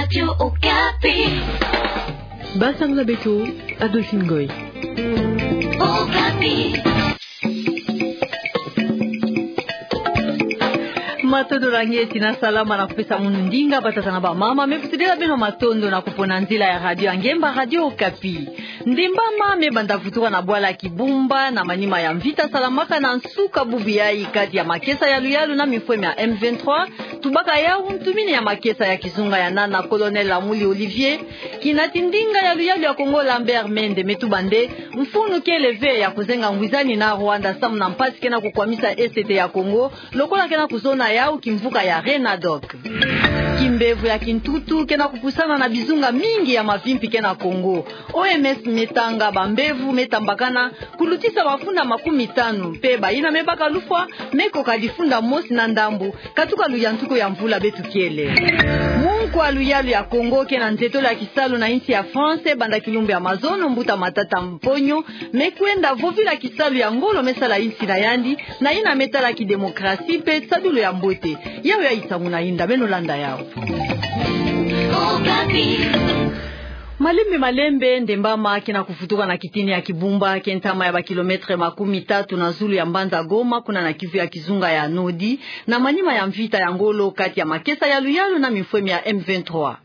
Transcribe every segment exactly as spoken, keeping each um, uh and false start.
Radio Okapi. Basang la beto, Adolphine Ngoy. Okapi. Matondo na nge, tina salama na kupesa munu ndinga, batata na bamama, me futi dela beno matondo na kupona nzila ya radio ya ngemba, Radio Okapi. Ndembama me banda vutuka na bwala Kibumba, na manima ya mvita salamaka na nsuka bubu yayi kati ya makesa ya luyalu na mifweme ya M vingt-trois, tubaka yau ntumini ya makesa ya kizunga ya nana, Colonel Amuli Olivier, kinati ndinga ya luyalu ya Kongo Lambert Mende me tuba nde mfunu kele ve ya kuzenga ngwizani na Rwanda samu na mpasi ke na kukwamisa Est ya Kongo, lokola ke na kuzona yau kimvuka ya Renadoc. Kimbevo ya kintutu ke na kupusana na bizunga mingi ya mavimpi ke na Kongo. O M S me tanga bambevo me tambakana, kulutisa bafunda makumi tanu, mpe bayina me baka lufwa me koka difunda mosi na ndambu, katuka luyantuku ya mvula beto kele. Munkwa luyalu ya Kongo ke na nzetolo ya kisalu na insi ya France, banda kilumbu ya mazono, mbuta Matata Mponyo me kwenda vovila kisalu ya ngolo me sala insi na yandi, na yina me tala kidemokrasi mpe tisadulu ya mbote. Yau yayi nsangu na yinda, beno landa yau. Malembe malembe, ndembama ke na kuvutuka na kitini ya Kibumba, ke ntama ya bakilometre makumi tatu na zulu ya mbanza Goma, kuna na Kivu ya kizunga ya nodi, na manima ya mvita ya ngolo kati ya makesa ya luyalu na mifweme ya M vingt-trois.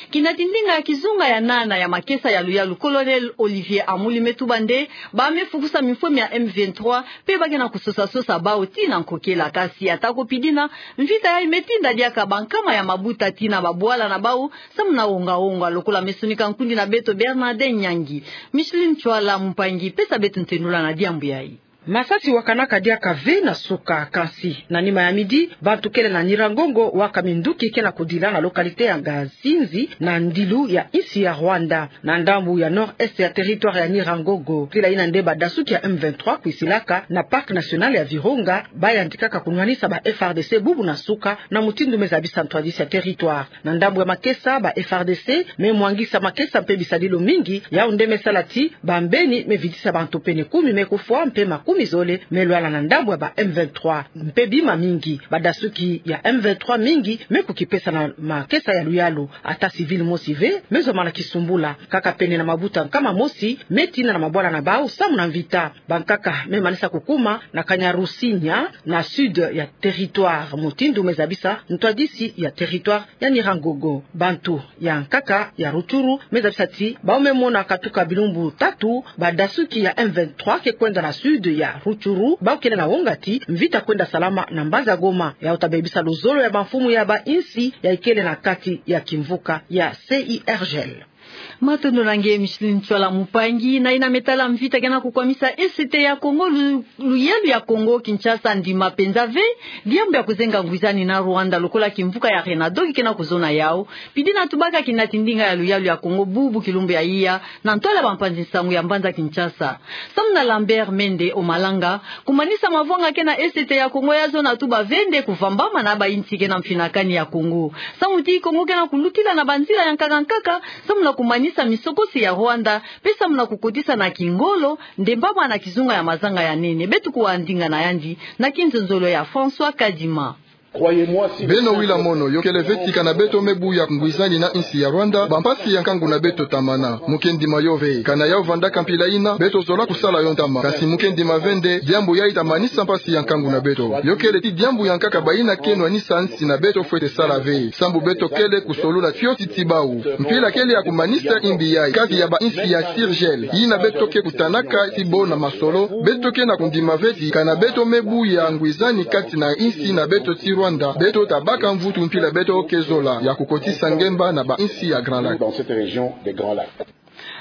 Kinati ndinga ya kizunga ya nana ya makesa ya luyalu, Colonel Olivier Amuli me tuba nde ba me fukusa mifweme ya M vingt-trois, mpe ba ke na kusosa-sosa bau tii na nkokela. Kasi atako pidina, mvita yayi me tinda diaka bankama ya mabuta tii na babwala na bau, samu na wonga-wonga, lokola me sonika nkundi na beto Bernardin Nyangi. Micheline Ntsoila Mpangi pesa beto ntenula na diambu yayi. Masasi wakanaka diaka ve na suka, kasi na nima ya midi, bantu kele na Nyiragongo waka minduki ke na kudila na localité ya Ngazinzi, na ndilu ya insi ya Rwanda, na ndambu ya nord-est ya territoire ya Nyiragongo. Mpila yina nde badasuki ya M vingt-trois kwisilaka na Parc national ya Virunga, bayantikaka kunwanisa ba F A R D C bubu na suka, na mutindu me zabisa ntwadisi ya territoire. Na ndambu ya makesa, ba F A R D C me mwangisa makesa mpe bisadilo mingi, yau nde me sala ti bambeni me vidisa bantu pene kumi me kufwa mpe makumi zole me lwala na ndambu ya ba M vingt-trois. Mpe bima mingi, badasuki ya M vingt-trois mingi me kukipesa na makesa ya luyalu. Ata civil mosi ve me zwa mana kisumbula, kaka pene na mabuta nkama mosi me tina na mabwala na bau samu na mvita. Bankaka me manisa kukuma na Kanyarusinya, na sud ya territoire, mutindu me zabisa ntwadisi ya territoire ya Nyiragongo. Bantu ya nkaka ya Rutshuru me zabisa ti bau me mona katuka bilumbu tatu, badasuki ya M vingt-trois ke kwenda na sud ya Rutshuru, bau kele na wonga ti mvita kwenda salama na mbanza Goma. Yau ta bebisa luzolo ya bamfumu ya bainsi yayi kele na kati ya kimvuka ya C I R G L. Matondo na nge, Micheline Ntsoila Mpangi. Na yina me tala mvita ke na kukwamisa Est ya Kongo, lu-, luyalu ya Kongo Kinshasa, ndima mpenza ve diambu ya kuzenga ngwizani na Rwanda, lokola kimvuka ya Renadoc ke na kuzona yau. Pidina tubaka kinati ndinga ya luyalu ya Kongo bubu kilumbu ya iya, na ntwala bampanzi nsangu ya mbanza Kinshasa. Samu na Lambert Mende Omalanga, kumanisa mavwanga ke na Est ya Kongo ya zona tuba ve nde kuvambama na bainsi ke na mfinakani ya Kongo. Samu ti Kongo ke na kulutila na banzila ya nkaka-nkaka, samu na kumanisa misokosi ya Rwanda, mpe samu na kukotisa na kingolo ndembama na kizunga ya mazanga ya nene. Beto kuwa ndinga na yandi na kinzonzolo ya François Kadima. Beno wila mono, yo kele ve ti kana beto me buya ngwizani na insi ya Rwanda, bampasi ya nkangu na beto tamana. Muke ndima yo ve. Kana yau vandaka mpila yina, beto zola kusala yo ntama. Kasi muke ndima ve nde diambu yayi ta manisa mpasi ya nkangu na beto. Yo kele ti diambu ya nkaka bayina ke nwanisa insi na beto fwete sala ve. Sambu beto kele kusolula fioti ti bau. Mpila kele ya kumanisa imbi yayi kati ya bainsi ya C I R G L, yina beto ke kutanaka ti bo na masolo. Beto ke na kundima ve ti kana beto me buya ngwizani kati na insi na beto ti Rwanda, beto ta baka mvutu mpila beto ke zola ya kukotisa ngemba na bainsi ya Grand Lac.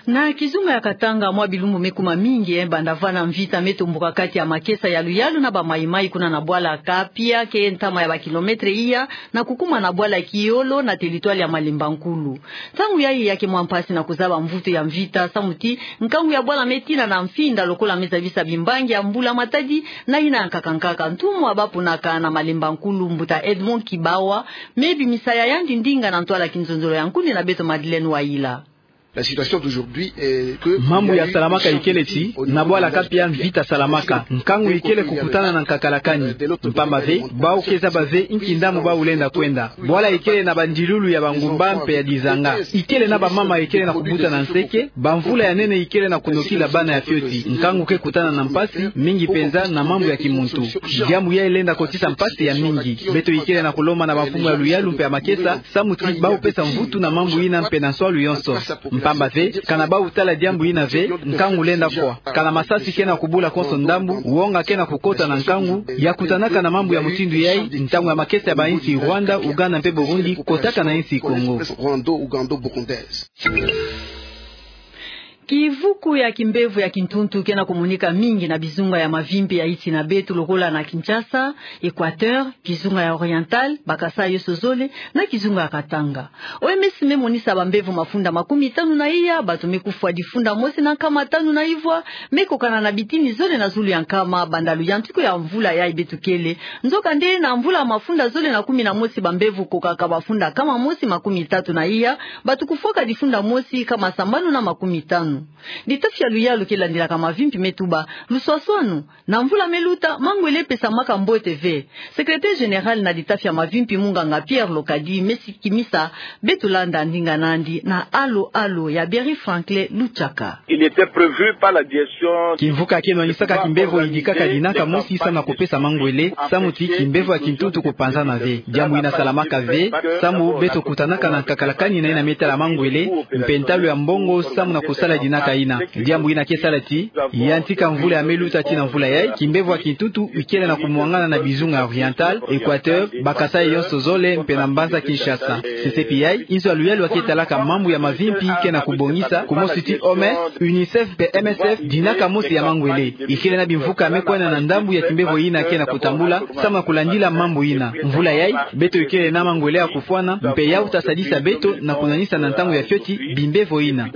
Na kizunga ya Katanga, mwa bilumbu me kuma mingi, eh, banda vana mvita me tomboka kati ya makesa ya luyalu na ba Mai-Mai kuna na bwala Kapia, ke ntama ya bakilometre iya, na kukuma na bwala Kiyolo na territoire ya Malemba Nkulu. Ntangu yayi ya ke mwa mpasi na kuzaba mvutu ya mvita, samu ti nkangu ya bwala me tina na mfinda lokola me zabisa bimbangi ya mbula matadi na yina ya nkaka-nkaka. Ntumwa bapunaka na Malemba Nkulu, mbuta Edmond Kibawa, me bimisa ya yandi ndinga na ntwala kinzonzolo ya nkundi na beto Madeleine Wayila. La situation d'aujourd'hui est que mambu ya salamaka ikele ti, na bwala kapia mvita salamaka, nkangu ikele kukutana na nkakalakani. Mpamba ve, bau ke zaba ve inki ndambu bau lenda kwenda. Bwala ikele na bandilulu ya bangumba mpe ya dizanga. Ikele na bamama ikele na kubuta na nseke, bamvula ya nene ikele na kunokila bana ya fioti. Nkangu ke kutana na mpasi mingi mpenza na mambu ya kimuntu. Diambu yai lenda kotisa mpasi ya mingi. Beto ikele na kulomba na bamfumu ya luyalu mpe ya makesa, samu ti bau pesa mvutu na mambu ina mpe na nswalu yonso. Mpamba ve, kana bau tala diambu ina ve, nkangu lenda fwa. Kana masasi ke na kubula konso ndambu, wonga ke na kukota na nkangu ya kutanaka na mambu ya mutindu yai, ntangu ya makesa ya bainsi Rwanda, Uganda mpe Burundi kotaka na insi Kongo. Kivuku ya kimbevo ya kintuntu ke na kumonika mingi na bizunga ya mavimpi ya insi na beto lokola na Kinshasa, Equateur, kizunga ya Oriental, bakasa yonso zole, na kizunga ya Katanga. O M S me monisa bambevo mafunda makumi tanu na iya, bato me kufwa difunda mosi na nkama tanu na ivwa, me kokana na bitini zole na zulu ya nkama, banda luyantiku ya mvula yai beto kele. Nzokande na mvula mafunda zole na kumi na mosi bambevo kokaka bafunda nkama mosi makumi tatu na iya, bato kufwaka difunda mosi nkama sambanu na makumi tanu. Litafi ya luyalu ke landilaka mavimpi me tuba luswaswanu, na mvula me luta, mangwele pesamaka mbote ve. Secrétaire général na litafi ya mavimpi munganga Pierre Lokadi me sikimisa beto landa ndinga nandi na Alo Alo ya Berry Franklin Luchaka. Il était prévu par la direction. Kimvuka ke nwanisaka kimbevo idikaka dinaka mosi samu na kupesa mangwele, samu ti kimbevo ya kintuntu kupanzana ve. Diambu ina salamaka ve, samu beto kutanaka na nkakalakani na ina me tala mangwele, mpe ntalu ya mbongo samu na kusala dinaka ina. Diambu ina ke sala ti, yantika mvula ya me luta tii na mvula yai, kimbevo ya kintuntu ikele na kumwangana na bizunga ya Oriental, Equateur, bakasa yonso zole mpe na mbanza Kinshasa. Sesepi yai, inzo ya luyalu ya ke talaka mambu ya mavimpi ke na kubongisa, kumosi ti O M S, UNICEF mpe M S F, dinaka mosi ya mangwele. Ikele na bimvuka me kwenda na ndambu ya kimbevo ina ke na kutambula, samu na kulandila mambu ina. Mvula yai, beto ikele na mangwele ya kufwana, mpe yau ta sadisa beto na kunwanisa na ntangu ya fioti bimbevo ina.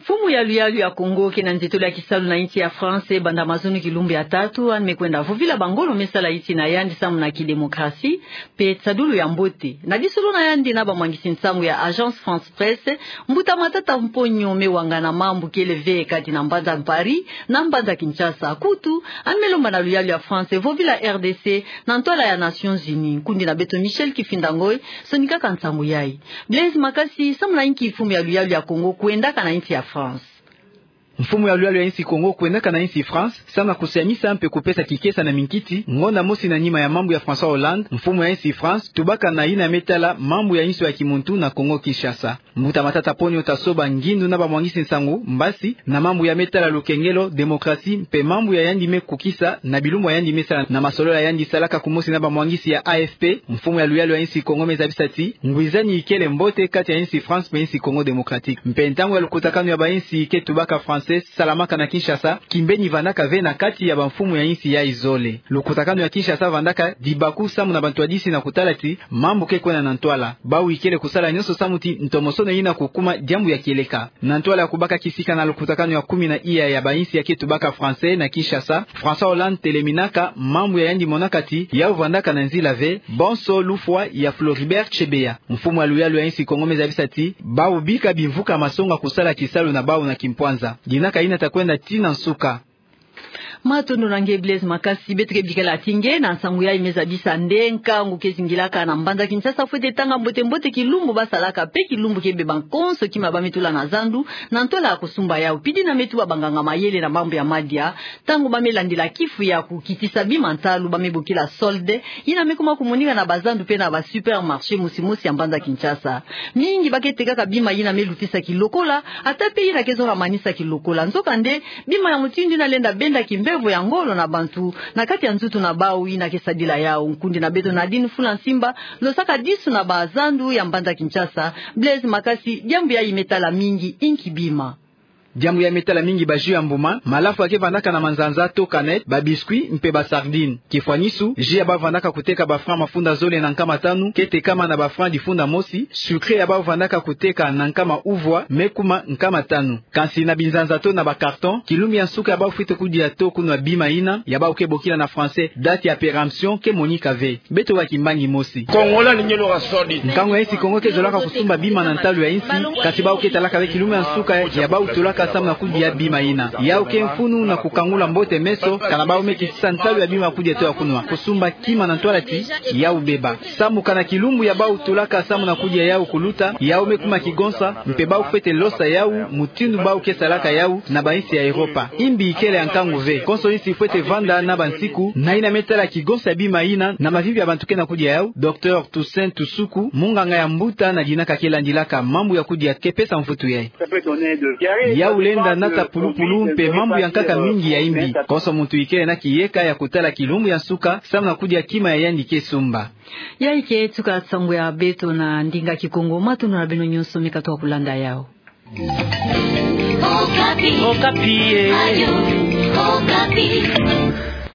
Mfumu ya luyalu ya Kongo ke na nzietolo ya kisalu na insi ya France banda mazono kilumbu ya tatu, yandi me kwenda vovila bangolo me sala insi na yandi samu na kidemokrasi mpe nsadulu ya mbote. Na lisolo na yandi na bamwangisi nsangu ya Agence France Presse, Mbuta Matata Mponyo me wangana mambu kele ve kati na mbanza Paris na mbanza Kinshasa. Kutu, yandi me lomba na luyalu ya France vovila R D C na ntwala ya Nations Unies. Nkundi na beto Michel Kifinda Ngoy sonikaka nsangu yai. Blaise Makasi, samu na inki mfumu ya luyalu ya Kongo kwendaka na insi ya France? Mfumu ya luyalu ya insi Kongo kwendaka na insi France, samu na kusiamisa mpe kupesa kikesa na minkiti, ngonda mosi na nima ya mambu ya François Hollande, mfumu ya insi France, tubaka na ina me tala mambu ya insi ya kimuntu na Kongo Kinshasa. Mbuta Matata Mponyo ta soba ngindu na bamwangisi nsangu mbasi na mambu ya me tala lukengelo, demokrasi, mpe mambu ya yandi me kukisa na bilumbu ya yandi me sala na masolola yandi salaka kumosi na bamwangisi ya A F P. Mfumu ya luyalu ya insi Kongo me zabisa ti ngwizani ikele mbote kati ya insi France mpe insi Congo Démocratique. Mpe ntangu ya lukutakanu ya bainsi ke tubaka français salamaka na Kinshasa, kimbeni vandaka ve na kati ya bamfumu ya insi yai zole. Lukutakanu ya Kinshasa vandaka dibaku samu na bantwadisi na kutala ti mambu ke kwenda na ntwala. Bau ikele kusala nyonso samu ti ntomosono ina kukuma diambu ya kieleka. Na ntwala ya kubaka kisika na lukutakanu ya kumi na iya ya bainsi ya ke tubaka français na Kinshasa, François Hollande teleminaka mambu ya yandi monaka ti yau vandaka na nzila ve, bonso lufwa ya Floribert Chebeya. Mfumu ya luyalu ya insi Kongo me zabisa ti bau bika bimvuka masonga kusala kisalu na bau na kimpwanza. Dinaka ina ta kwenda tii na nsuka. Matondo na nge Blaise Makasi. Beto ke bikala ti nge na nsangu yai me zabisa nde nkangu ke zingilaka na mbanza Kinshasa fwete tanga mbote mbote kilumbu ba salaka mpe kilumbu ke beba konso kima ba me tula na zandu na ntwala ya kusumba yau. Pidi na me tuba banganga mayele na mambu ya madia, ntangu ba me landila kifu ya kukitisa bima ntalu ba me bokila solde, ina me kuma kumonika na bazandu mpe na ba supermarché mosi mosi ya mbanza Kinshasa. Mingi ba ke tekaka bima ina me lutisa kilokola, ata mpe ina ke zonga manisa kilokola. Nzokande, bima ya mutindu ina lenda benda kimbevo ya ngolo na bantu na kati ya nzutu na bau ina ke sadila yau. Nkundi na beto Nadine Fula Nsimba losaka disu na bazandu ya mbanza Kinshasa. Blaise Makasi, diambu yai me tala mingi, inki bima? Diambu ya me tala mingi ba jus ya mbuma, malafu ya ke vandaka na manzanza to canette, ba biscuits mpe ba sardines. Kifwanisu, jus ya bau vandaka kuteka ba francs mafunda zole na nkama tanu, ke tekama na ba francs difunda mosi, sucré ya bau vandaka kuteka na nkama uvwa, me kuma nkama tanu. Kansi na binzanza to na ba cartons, kilumbu ya nsuka ya bau fwete kudia to kunwa bima ina, ya bau ke bokila na français date ya péremption, ke monika ve. Beto wa kimbangi mosi. Nkangu ya insi Kongo ke zolaka kusumba bima na ntalu ya insi, kansi bau ke talaka ve kilumbu ya nsuka ya bau tulaka samu na kudia bima ina. Yau ke mfunu na kukangula mbote meso, kana bau me kisisa ntalu ya bima ya kudia to ya kunwa. Kusumba kima na ntwala ti yau beba. Samu kana kilumbu ya bau tulaka samu na kudia yau kuluta, yau me kuma kigonsa, mpe bau fwete losa yau, mutindu bau ke salaka yau na ba insi ya Europa. Imbi ikele ya nkangu ve. Konso insi fwete vanda na ba nsiku, na ina me tala kigonsa ya bima ina, na mavimpi ya bantu ke na kudia yau. Docteur Toussaint Tusuku, munganga ya mbuta na dina ka ke landilaka mambu ya kudia, ke pesa mvutu yayi. Yau lenda nata pulupulu mpe mambu ya nkaka mingi ya imbi. Konso muntu ikele na kiyeka ya kutala kilumbu ya nsuka, samu na kudia kima ya yandi ke sumba. Yayi ke tuka nsangu ya beto na ndinga Kikongo, matondo na beno nyonso me katuka kulanda yau. Okapi. Okapi, eh. Radio Okapi.